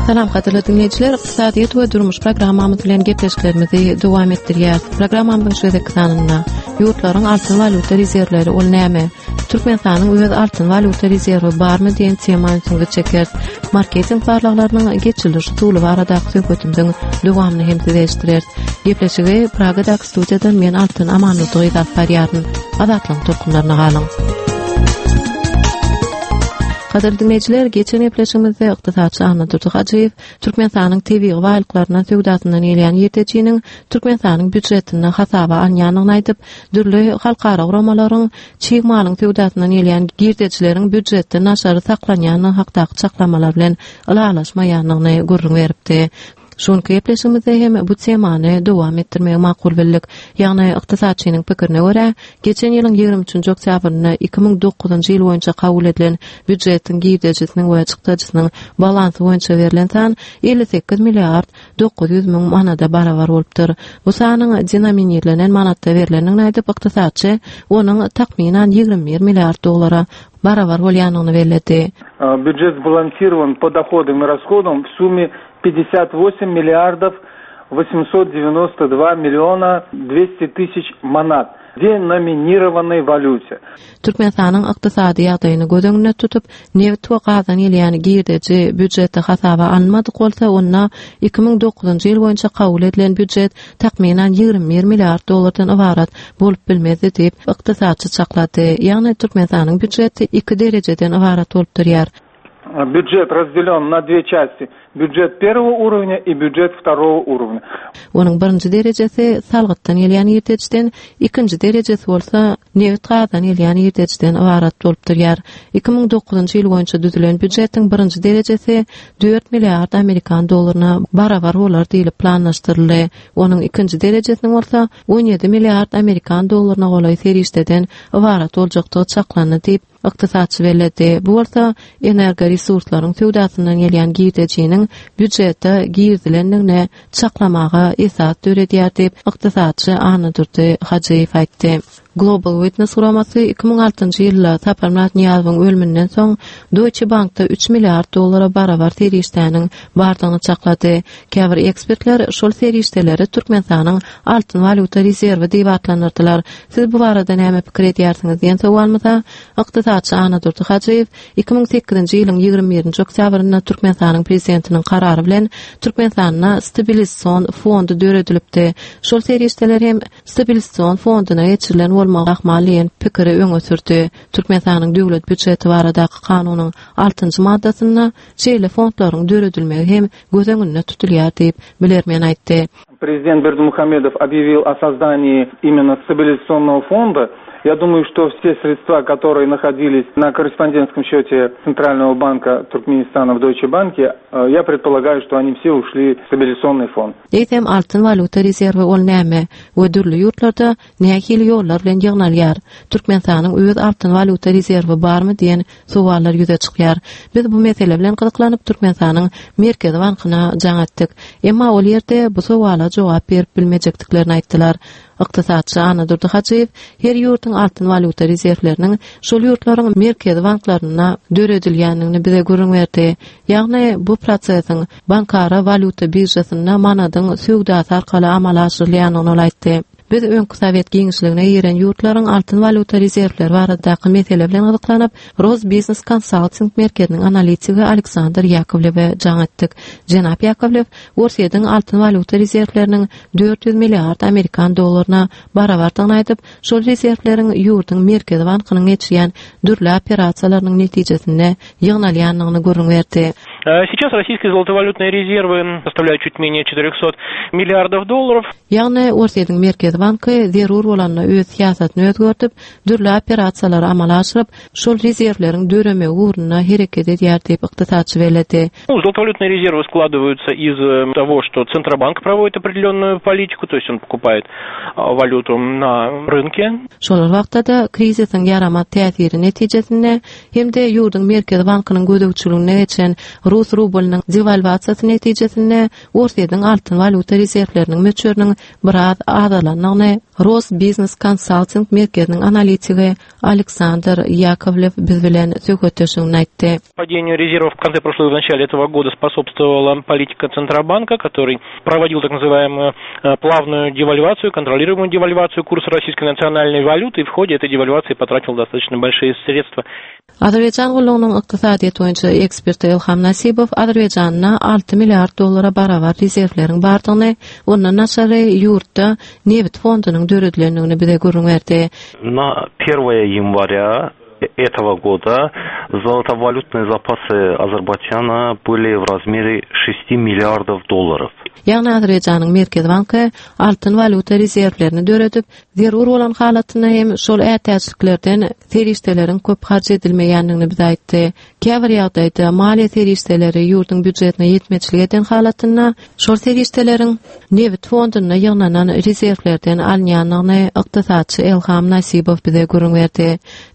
Salam gadyrly diňleýjiler, ykdysadyýet we durmuş programmamyz bilen gepleşiklerimizi dowam etdirýäris. Programmamyzyň şu gezekki sanynda ýurtlaryň altyn walýuta rezerwleri ol näme? Türkmenistanyň öz altyn walýuta rezerwi barmy diýen tema ünsüňizi çekeris. Marketing barlaglarynyň geçiriliş usuly baradaky söhbetimiziň dowamyny hem size eşitdireris. Gepleşigi Pragadaky studiýadan men Altyn Amanmurdy gyzy alyp barýaryn. Azatlygyň tolkunlaryna galyň. Gadyrly diňleýjiler, geçen gepleşigimizde ykdysatçy Annadurdy Hajyýew Türkmenistanyň tebigy baýlyklaryndan söwdasyndan gelýän ýetejiniň Türkmenistanyň býujetinde hasaba alynýandygyny aýdyp, dürli halkara guramalaryň çig malyň söwdasyndan gelýän girdejileriň býujetden daşary saklanýandygy hakdaky çaklamalar bilen ylalaşmaýandygyny gürrüň beripdi. Şu günki gepleşigimizde hem bu temany dowam etdirmegi makul bildik. Ýagny, ykdysatçynyň pikirine görä, geçen ýylyň 23-nji oktýabrynda 2009-njy ýyl boýunça kabul edilen býujetiň girdejisiniň we çykdajysynyň balansy boýunça berlen san 58 milliard 900 müň manada barabar bolupdyr. Bu sanyň denominirlenen manatda berlendigini aýdyp, ykdysatçy onuň takmynan 21 milliard dollara barabar bolýandygyny belledi. Býujet sbalansирован по доходам и расходам в сумме 58 миллиардов 892 миллиона 200 тысяч манат деноминированной валюте. Türkmenistanyň ykdysady ýagdaýyny göz öňünde tutup, nebit we gazdan gelýän girdeji býujetde hasaba alynmadyk bolsa, onda 2009-njy ýyl boýunça kabul edilen býujet takmynan 21 milliard dollardan ybarat bolup bilmezdi diýip, ykdysatçy çaklady. Ýagny Türkmenistanyň býujeti iki derejeden ybarat bolup durýar. Бюджет разделен на две части. Бюджет первого уровня и бюджет второго уровня. Onuň birinji derejesi salgytdan gelýän girdejiden, ikinji derejesi bolsa nebit-gazdan gelýän girdejiden ybarat bolup durýar. 2009-njy ýyl boýunça düzülen býujetiň birinji derejesi dört milliard amerikan dollaryna barabar bolar diýlip planlaşdyryldy. Onuň ikinji derejesiniň bolsa 17 milliard amerikan dollaryna golaý serişdeden ybarat boljakdygy çaklandy diýip, Ykdysatçy belledi. Bu bolsa energoresurslaryň söwdasyndan gelýän girdejiniň býujete girizilendigini çaklamaga esas döredýär diýip, ykdysatçy Annadurdy Hajyýew aýtdy. Global Witness guramasy 2006-njy ýylda Saparmyrat Nyýazowyň ölüminden soň Deutsche Bankda üç milliard dollara barabar serişdäniň bardygyny çaklady. Käbir ekspertler şol serişdeleri Türkmenistanyň altyn walýuta rezerwi diýip atlandyrdylar. Siz bu barada näme pikir edýärsiňiz diýen sowalymyza ykdysatçy Annadurdy Hajyýew 2008-nji ýylyň 21-nji oktýabrynda Türkmenistanyň Prezidentiniň karary bilen Türkmenistanda Stabilizasion fondy döredilipdi. Şol serişdeler hem Stabilizasion fonduna geçirilen bolmagy ahmal diýen pikiri öňe sürdi. Türkmenistanyň Döwlet býujeti baradaky kanunyň altynjy maddasynda şeýle fondlaryň döredilmegi hem göz öňünde tutulýar diýip, bilermen aýtdy. Prezident Berdimuhamedov объявил о создании именно стабилизационного фонда. Я думаю, что все средства, которые находились на корреспондентском счете Центрального банка Туркменистана в Deutsche Bank, э, я предполагаю, что они все ушли в стабилизационный фонд. Eýsem altyn walýuta rezerwi ol näme we dürli ýurtlarda nähili ýollar bilen ýygnalýar? Türkmenistanyň öz altyn walýuta rezerwi barmy diýen sowallar ýüze çykýar. Biz bu mesele bilen gyzyklanyp Türkmenistanyň Merkezi bankyna jaň etdik. Emma ol ýerde bu sowala jogap berip bilmejekdiklerini aýtdylar. Ykdysatçy Annadurdy Hajyýew her ýurduň altyn walýuta rezerwleriniň şol ýurtlaryň Merkezi banklarynda döredilýändigini bize gürrüň berdi. Ýagny bu prosesiň bankara walýuta biržasynda manadyň söwdasy arkaly amala aşyrylýandygyny ol aýtdy. Biz öňki sowet giňişligine giren ýurtlaryň altyn walýuta rezerwleri baradaky mesele bilen gyzyklanyp, Rosbiznes konsalting merkeziniň analitigi Aleksandr Ýakowlewe jaň etdik. Jenap Ýakowlew Orsýetiň altyn walýuta rezerwleriniň 400 milliard amerikan dollaryna barabardygyny aýdyp, şol rezerwleriň ýurduň Merkezi bankynyň geçirýän dürli operasiýalarynyň netijesinde ýygnalýandygyny gürrüň berdi. Сейчас российские золотовалютные резервы составляют чуть менее 400 миллиардов долларов. Ýagny, Orsýetiň Merkezi banky zerur bolanda öz syýasatyny özgerdip, dürli operasiýalary amala aşyryp, şol rezerwleriň döremegi ugrunda hereket edýär diýip, ykdysatçy belledi. Золотовалютные резервы складываются из э, того, что Центробанк проводит определенную политику, то есть он покупает валюту на рынке. Şol bir wagtda-da, krizisiň ýaramaz täsiri netijesinde hem-de ýurduň Merkezi bankynyň gözegçiligine geçen. Rus rublynyň dewalwasiýasy netijesinde Orsýetiň altyn walýuta rezerwleriniň möçberiniň biraz azalandygyny Rosbiznes konsalting merkeziniň analitigi Aleksandr Ýakowlew biz bilen söhbetdeşliginde aýtdy. Падению резервов в конце прошлого и в начале этого года способствовала политика Центробанка, который проводил так называемую э, плавную девальвацию, контролируемую девальвацию курса российской национальной валюты и в ходе этой девальвации потратил достаточно большие средства. Azerbaýjan gullugynyň ykdysadyýet boýunça eksperti Ilham Nasibow Azerbaýjanda 6 milliard dollara barabar rezerwleriň bardygyny, ondan daşary ýurtda nebit fondunyň döredilendigini bize gürrüň berdi. Na 1 ýanwarýa этого года золотовалютные запасы Азербайджана были в размере 6 миллиардов долларов. Ýagny Azerbaýjanyň Merkezi banky altyn walýuta rezerwlerini döredip, zerur bolan halatynda hem şol ätiýaçlyklardan serişdeleriň köp harç edilmeýändigini bize aýtdy. Käbir ýagdaýda maliýe serişdeleri ýurduň býujetine ýetmezçilik eden halatynda şol serişdeleriň nebit fondunda ýygnanan rezerwlerden alynýandygyny ykdysatçy Elham Nasibow bize gürrüň berdi.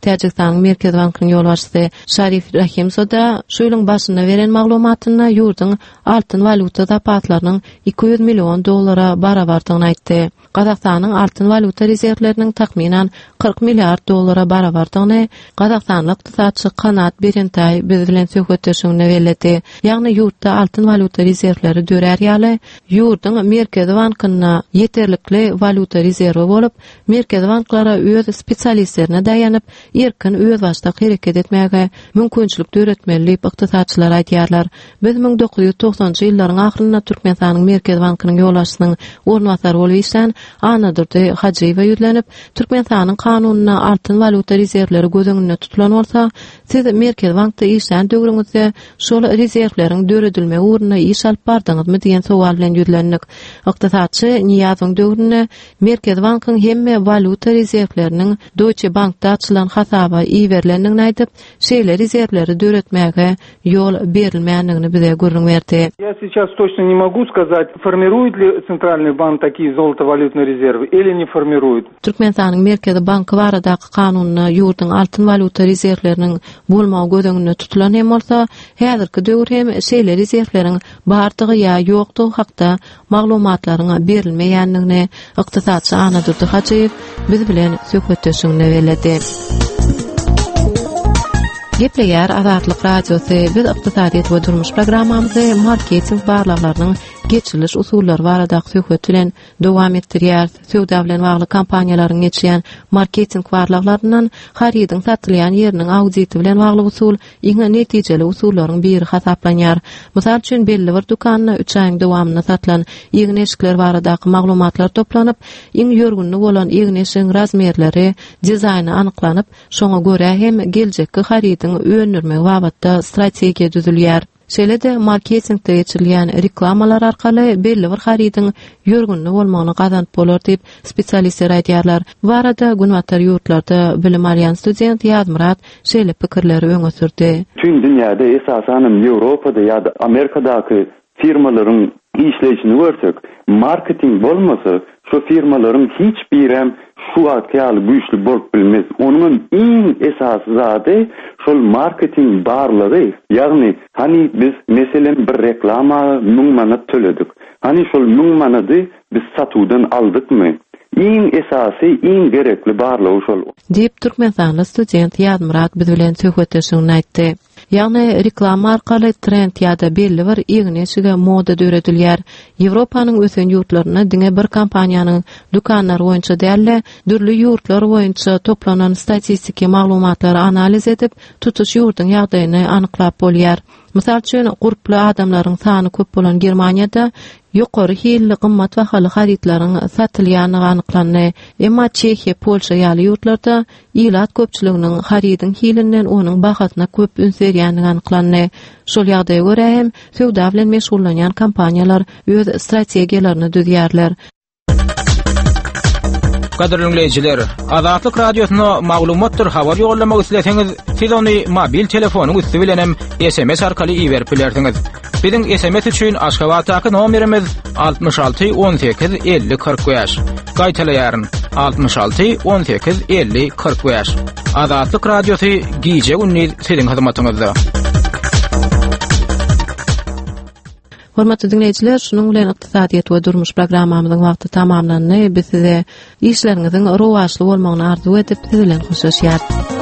Täjigistanyň Merkezi bankynyň ýolbaşçysy Şarif Rahimzoda şu ýylyň başynda beren maglumatynda ýurduň altyn walýuta zapaslarynyň 200 million dollara barabardygyny aýtdy. Gazagystanyň altyn walýuta rezerwleriniň takmynan 40 milliard dollara barabardygyny gazagystanly ykdysatçy Kanat Berentaý biz bilen söhbetdeşliginde belledi. Ýagny ýurtda altyn walýuta rezerwleri dörär ýaly, ýurduň Merkezi bankynda ýeterlikli walýuta rezerwi bolup, Merkezi banklara öz spesialistlerine daýanyp, erkin özbaşdak hereket etmäge mümkinçilik döretmeli diýip, ykdysatçylar aýdýarlar. Biz 1990-njy ýyllaryň ahyrynda Türkmenistanyň Merkezi bankynyň ýolbaşçysynyň orunbasary bolup işlän Annadurdy Hajyýewe ýüzlenip, Türkmenistanyň kanunynda altyn walýuta rezerwleri göz öňünde tutulan bolsa, siz Merkezi bankda işlän döwrüňizde şol rezerwleriň döredilmegi ugrunda iş alyp bardyňyzmy diýen sowal bilen ýüzlendik. Ykdysatçy Nyýazowyň döwründe Merkezi bankyň hemme walýuta rezerwleriniň Deutsche Bankda açylan hasaba iberilendigini aýdyp, şeýle rezerwleri döretmäge ýol berilmändigini bize gürrüň berdi. Я сейчас точно не могу сказать, формирует ли Центральный банк такие золотовалютные резервы или не формирует. Türkmenistanyň Merkezi banky baradaky kanunda ýurduň altyn walýuta rezerwleriniň bolmagy göz öňünde tutulan hem bolsa, häzirki döwür hem şeýle rezerwleriň bardygy ýa ýokdugy hakda maglumatlaryň berilmeýändigini ykdysatçy Annadurdy Hajyýew biz bilen söhbetdeşliginde belledi. Gepleýär Azatlyk Radiosy. Biz ykdysadyýet we durmuş programmamyzy marketing barlaglarynyň geçiriliş usullary baradaky söhbet bilen dowam etdirýäris. Söwda bilen bagly kompaniýalaryň geçirýän marketing barlaglaryndan harydyň satylýan ýeriniň auditi bilen bagly usul iň netijeli usullaryň biri hasaplanýar. Mysal üçin, belli bir dükanda üç aýyň dowamynda satylan egin-eşikler baradaky maglumatlar toplanyp, iň ýörgünli bolan egin-eşigiň razmerleri, dizaýny anyklanyp, şoňa görä hem geljekki harydyň öndürmegi babatda strategiýa düzülýär. Şeýle-de marketingde geçirilýän reklamalar arkaly belli bir harydyň ýörgünli bolmagyny gazanyp bolar diýip, spesialistler aýdýarlar. Bu barada günbatar ýurtlarda bilim alýan student Ýazmyrat şeýle pikirleri öňe sürdi. Bütin dünýäde, esasanam Ýewropada ýa-da Amerikadaky firmalaryň işleýşini görsek, marketing bolmasa, şo firmalaryň hiç birem şu wagtky ýaly güýçli bolup bilmez. Onuňam iň esasy zady şol marketing barlygy, ýagny hany biz meselem bir reklama müň manat töledik. Hany şol müň manady biz satuwdan aldykmy? Iň esasy, iň gerekli barlygy şol. Diýip, türkmenistanly student Ýazmyrat biz bilen söhbetdeşliginde aýtdy. Ýagny reklama arkaly trend ýa-da belli bir egin-eşige moda döredilýär. Ýewropanyň ösen ýurtlarynda diňe bir kompaniýanyň dükanlary boýunça däl-de, dürli ýurtlar boýunça toplanan statistiki maglumatlary analiz edip, tutuş ýurduň ýagdaýyny anyklap bolýar. Mysal üçin, gurply adamlaryň sany köp bolan Germaniýada ýokary hilli gymmat bahaly harytlaryň satylýandygy anyklandy. Emma Çehiýa, Polşa ýaly ýurtlarda Ilat köpçüliginiň harydyň hilinden onuň bahasyna köp üns berýändigi anyklandy. Şol ýagdaýa görä hem söwda bilen meşgullanýan kompaniýalar öz strategiýalaryny düzýärler. Gadyrly diňleýjiler, Azatlyk Radiosyna maglumatdyr habar ýollamak isleseňiz, siz ony mobil telefonyň üsti bilen hem SMS arkaly iberip bilersiňiz. Biziň SMS üçin Aşgabatdaky nomerimiz 66 18 50 45. Gaýtalaýaryn, 66 18 50 45. Azatlyk Radiosy gije-gündiz siziň hyzmatyňyzda. Hormatly diňleýjiler, şunuň bilen ykdysadyýet we durmuş programmamyzyň wagty tamamlandy. Biz size işleriňiziň rowaçly bolmagyny arzuw edip, siz bilen hoşlaşýarys.